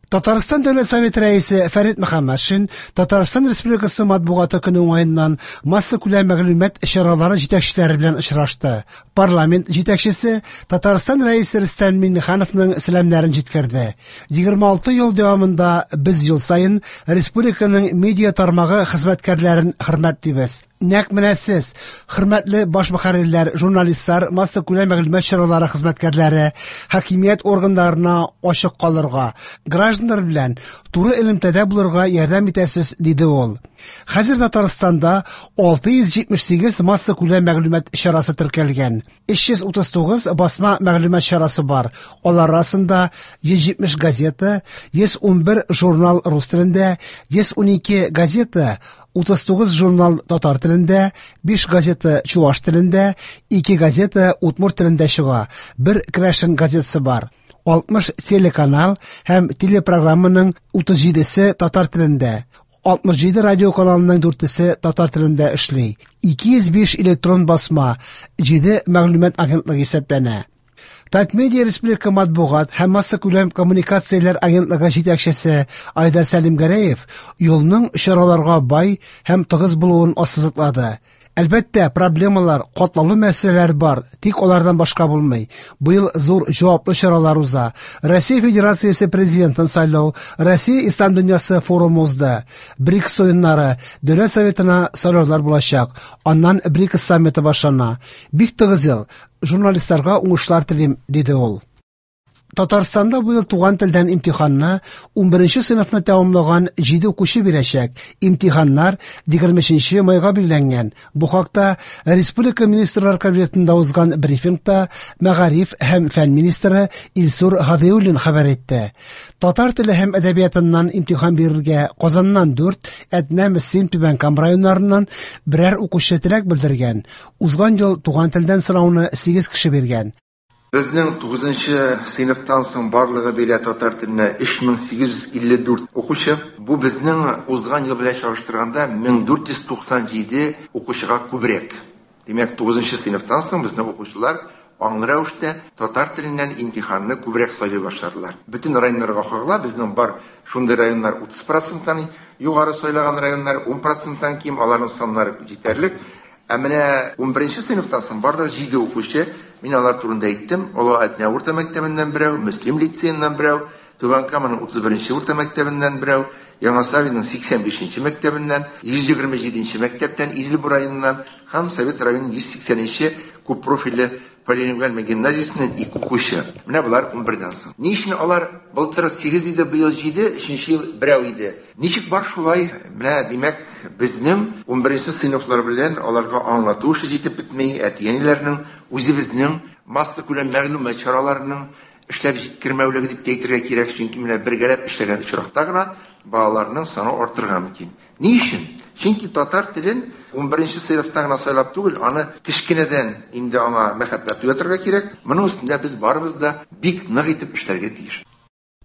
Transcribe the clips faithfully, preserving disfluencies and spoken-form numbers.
Татарстан Дәүләт Советы Рәисе Фәрит Мөхәммәтшин Татарстан Республикасы матбугаты көне уңаеннан массакүләм мәгълүмат чаралары җитәкчеләре белән очрашты. Парламент җитәкчесе Татарстан Рәисе Рөстәм Миңнехановның сәламнәрен җиткерде. егерме алты ел дәвамында без ел саен республиканың медиа тармагы хезмәткәрләрен хөрмәтлибез. Нәкъ менә сез, хөрмәтле баш мөхәррирләр, журналистлар, массакүләм мәгълүмат чаралары хезмәткәрләре, хакимият органнарына ачык калырга, гражданнар белән туры элемтәдә булырга ярдәм итәсез, диде ул. Хәзер Татарстанда алты йөз җитмеш сигез массакүләм мәгълүмат чарасы теркәлгән. Өч йөз утыз тугыз басма мәгълүмат чарасы бар. Алар арасында йөз җитмеш газета, йөз унбер журнал рус телендә, йөз унике газета, утыз тугыз журнал татар телендә, биш газета чуаш телендә, ике газета удмурт телендә чыга, бер керәшен газетасы бар. алтмыш телеканал һәм телепрограмманың утыз җидесе татар телендә, алтмыш җиде радио каналының дүртесе татар телендә эшли. Ике йөз биш электрон басма, җиде мәгълүмат агентлыгы исәпләнә. Татмедиа Республика матбугат һәм массакүләм коммуникацияләр агентлыгы җитәкчесе Айдар Сәлимгәрәев юлның чараларга бай һәм тыгыз булуын ассызыклады. Әлбәттә, проблемалар, катлаулы мәсьәләләр бар, тик алардан башка булмый. Быел зур җаваплы чаралар уза. Россия Федерациясе президентын сайлау, Россия Ислам дөньясы форумы узды. БРИКС уеннары, Дәүләт Советына сайлаулар булачак. Аннан БРИКС саммиты башлана. Бик тыгыз ел. Журналистларга уңышлар телим, диде ул. Татарстанда быел туган телдән имтиханны унберенче сыйныфны тәмамлаган җиде укучы бирәчәк. Имтиханнар егерме өченче майга билгеләнгән. Бу хакта Республика Министрлар Кабинетында узган брифингта мәгариф һәм фән министры Илсур Һадиуллин хәбәр итте. Татар теле һәм әдәбиятыннан имтихан бирергә Казаннан дүрт, Әтнә, Мөслим, Түбән Кама районнарыннан берәр укучы теләк белдергән. Узган ел туган телдән сынауны сигез кеше биргән. Безнең тугызынчы сыйныфтан соң барлыгы бирә татар теленә өч мең сигез йөз илле дүрт укучы. Бу безнең узган ел белән чагыштырганда мең дүрт йөз туксан җиде укучыга күбрәк. Димәк, тугызынчы сыйныфтан соң безнең укучылар аңлы рәвештә татар теленнән имтиханны күбрәк сайлый башладылар. Бөтен районнарга кагыла, безнең бар шундый районнар утыз проценттан югары сайлаган районнар, ун проценттан ким, аларның саннары җитәрлек. Ә менә унберенче сыйныфтан соң барлыгы җиде укучы, мин алар турында әйттем, Олы Әтнә урта мәктәбеннән берәү, Мөслим лицееннан берәү, Түбән Каманың утыз беренче урта мәктәбеннән берәү, Яңа Савинның сиксән бишенче мәктәбеннән, йөз егерме җиденче мәктәптән, Идел буе районыннан һәм Совет районының йөз сиксәненче күп профильле полилингваль гимназиясеннән ике укучы. Менә болар унбердән соң. Ни өчен алар былтыр сигез иде, быел җиде, өченче ел берәү иде? Ничек бар шулай? Менә, димәк, безнең унберенче сыйныфлар белән аларга аңлату эше җитеп бетми, әти-әниләрнең, үзебезнең массакүләм мәгълүмат чараларының эшләп җиткермәүлеге дип әйтергә кирәк, чөнки менә бергәләп эшләгән очракта гына балаларның саны артырга мөмкин. Ни өчен? Чөнки татар телен унберенче сыйныфта гына сайлап түгел, аны кечкенәдән инде аңа мәхәббәт уятырга кирәк. Моның өстендә без барыбыз да бик нык итеп эшләргә тиеш.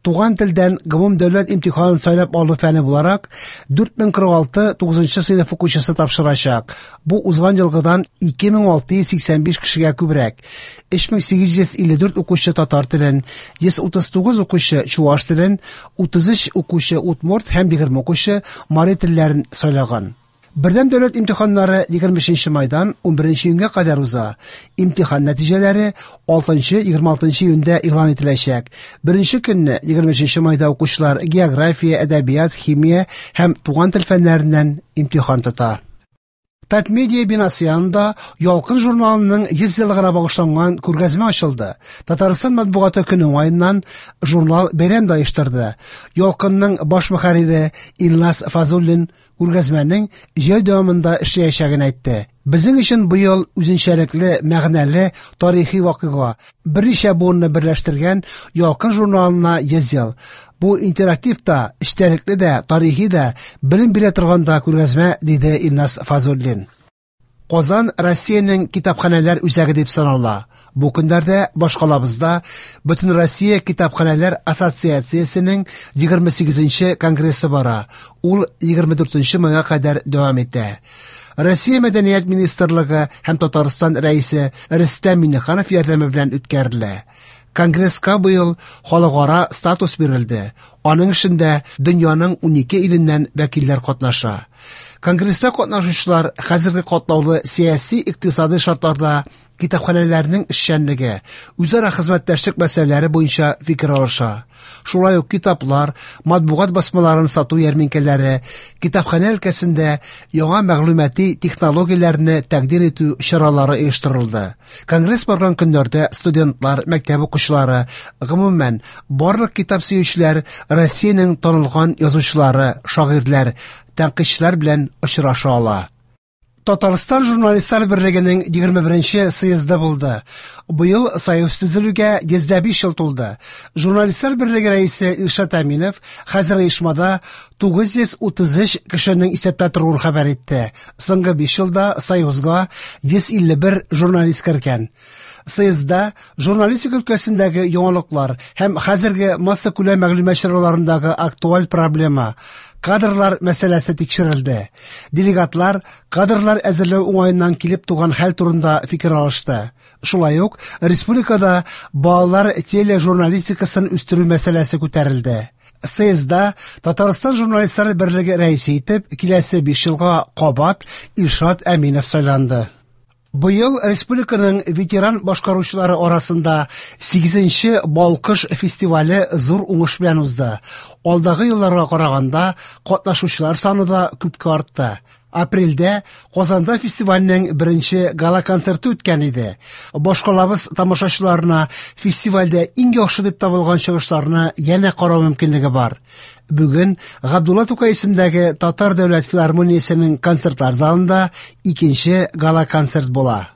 Туган телдән гомум дәүләт имтиханын сайлап алу фәне буларак дүрт мең кырык алты тугызынчы сыйныф укучысы тапшырачак. Бу узган елгыдан ике мең алты йөз сиксән биш кешегә күбрәк. Өч мең сигез йөз илле дүрт укучы татар телен, йөз утыз тугыз укучы чуаш телен, утыз өч укучы удмурт һәм егерме укучы мари телләрен сайлаган. Бердәм дәүләт имтиханнары егерме өченче майдан унберенче июньгә кадәр уза. Имтихан нәтиҗәләре алтынчы, егерме алтынчы июньдә игълан ителәчәк. Беренче көнне егерме өченче майда укучылар география, әдәбият, химия һәм туган тел фәннәреннән имтихан тота. Татмедиа бинасы янында Ялкын журналының йөз еллыгына багышланган күргәзмә ачылды. Татарстан матбугаты көне уңаеннан журнал бәйрәм дә оештырды. Ялкынның баш мөхәррире Илназ Фазуллин күргәзмәнең җәй дәвамында эшләячәген әйтте. Безнең өчен быел үзенчәлекле, мәгънәле тарихи вакыйга. Берничә буынны берләштергән Ялкын журналына йөз ел. Бу интерактив та, эчтәлекле дә, тарихи да, белем бирә торган да күргәзмә, диде Илназ Фазуллин. Казан Россиянең китапханәләр үзәге дип санала. Бу көннәрдә башкалабызда Бөтен Россия китапханәләр ассоциациясенең егерме сигезенче конгрессы бара. Ул егерме дүртенче майга кадәр дәвам итә. Россия Мәдәният министрлыгы һәм Татарстан рәисе Рөстәм Миңнеханов ярдәме белән үткәрелә. Конгресска быел халыкара статус бирелде. Аның эшендә дөньяның унике иленнән вәкилләр катнаша. Конгресста катнашучылар хәзерге катлаулы сәяси-икътисади шартларда китапханәләрнең эшчәнлеге, үзара хезмәттәшлек мәсьәләләре буенча фикер алыша. Шулай ук китаплар, матбугат басмаларын сату ярминкәләре, китапханә өлкәсендә яңа мәгълүмати технологияләрне тәкъдим итү чаралары оештырылды. Конгресс барган көннәрдә студентлар, мәктәп укучылары, гомумән, барлык китап сөючеләр Россиянең танылган язучылары, шагыйрьләр, тәнкыйтьчеләр белән очраша ала. Татарстан журналистлар берлегенең егерме беренче съезды булды. Быел союз төзелүгә йөз дә биш ел тулды. Журналистлар берлеге рәисе Илшат Әминов хәзер оешмада тугыз йөз утыз өч кешенең исәптә торуын хәбәр итте. Соңгы биш елда союзга йөз илле бер журналист кергән. Съездда журналистика өлкәсендәге яңалыклар һәм хәзерге массакүләм мәгълүмат чараларындагы актуаль проблема кадрлар мәсьәләсе тикшерелде. Делегатлар кадрлар әзерләү уңаеннан килеп туган хәл турында фикер алышты. Шулай ук республикада балалар тележурналистикасын үстерү мәсьәләсе күтәрелде. Съездда Татарстан журналистлар берлеге рәисе итеп киләсе биш елга кабат Илшат Әминов сайланды. Быел республиканың ветеран башкаручылары арасында сигезенче Балкыш фестивале зур уңыш белән узды. Алдагы елларга караганда катнашучылар саны да күпкә артты. Апрельдә Казанда фестивальнең беренче гала-концерты үткән иде. Башкалабыз тамашачыларына фестивальдә иң яхшы дип табылган чыгышларны янә карау мөмкинлеге бар. Бүген Габдулла Тукай исемендәге Татар дәүләт филармониясенең концертлар залында икенче гала-концерт була.